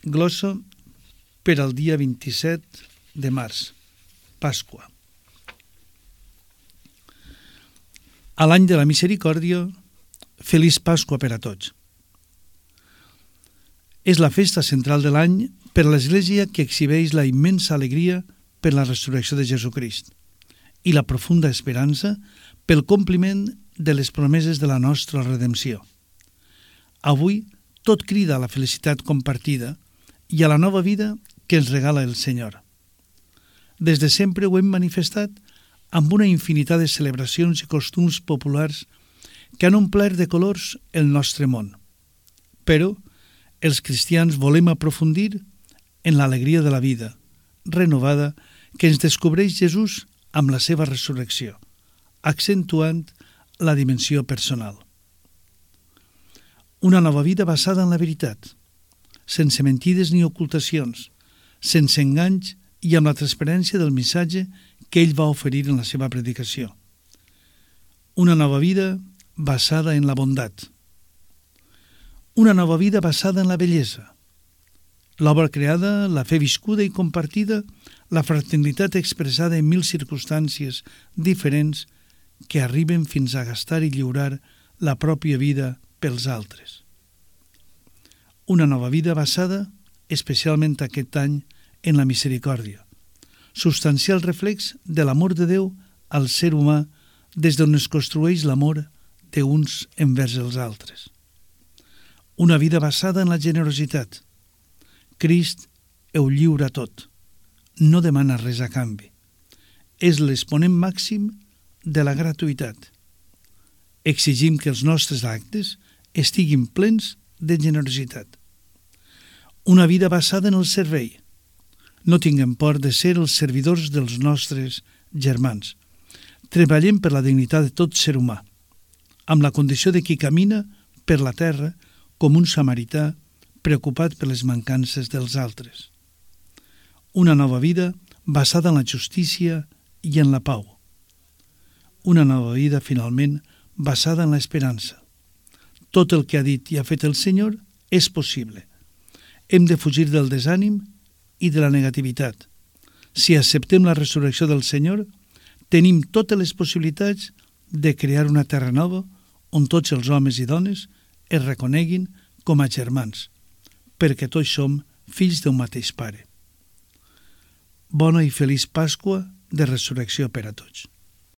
Glossa per al dia 27 de març, Pasqua. A l'any de la misericòrdia, feliç Pasqua per a tots. És la festa central de l'any per a l'Església que exhibeix la immensa alegria per la resurrecció de Jesucrist i la profunda esperança pel compliment de les promeses de la nostra redempció. Avui tot crida a la felicitat compartida i a la nova vida que ens regala el Senyor. Des de sempre ho hem manifestat amb una infinitat de celebracions i costums populars que han omplert de colors el nostre món. Però els cristians volem aprofundir en l'alegria de la vida renovada que ens descobreix Jesús amb la seva resurrecció, accentuant la dimensió personal. Una nova vida basada en la veritat, sense mentides ni ocultacions, sense enganys i amb la transparència del missatge que ell va oferir en la seva predicació. Una nova vida basada en la bondat. Una nova vida basada en la bellesa. L'obra creada, la fe viscuda i compartida, la fraternitat expressada en mil circumstàncies diferents que arriben fins a gastar i lliurar la pròpia vida pels altres. Una nova vida basada, especialment aquest any, en la misericòrdia, substancial reflex de l'amor de Déu al ser humà des d'on es construeix l'amor d'uns envers els altres. Una vida basada en la generositat. Crist ho lliura tot, no demana res a canvi. És l'exponent màxim de la gratuïtat. Exigim que els nostres actes estiguin plens de generositat. Una vida basada en el servei. No tinguem por de ser els servidors dels nostres germans. Treballem per la dignitat de tot ser humà, amb la condició de qui camina per la terra com un samarità preocupat per les mancances dels altres. Una nova vida basada en la justícia i en la pau. Una nova vida, finalment, basada en l'esperança. Tot el que ha dit i ha fet el Senyor és possible. Hem de fugir del desànim i de la negativitat. Si acceptem la resurrecció del Senyor, tenim totes les possibilitats de crear una terra nova on tots els homes i dones es reconeguin com a germans, perquè tots som fills d'un mateix pare. Bona i feliç Pasqua de resurrecció per a tots.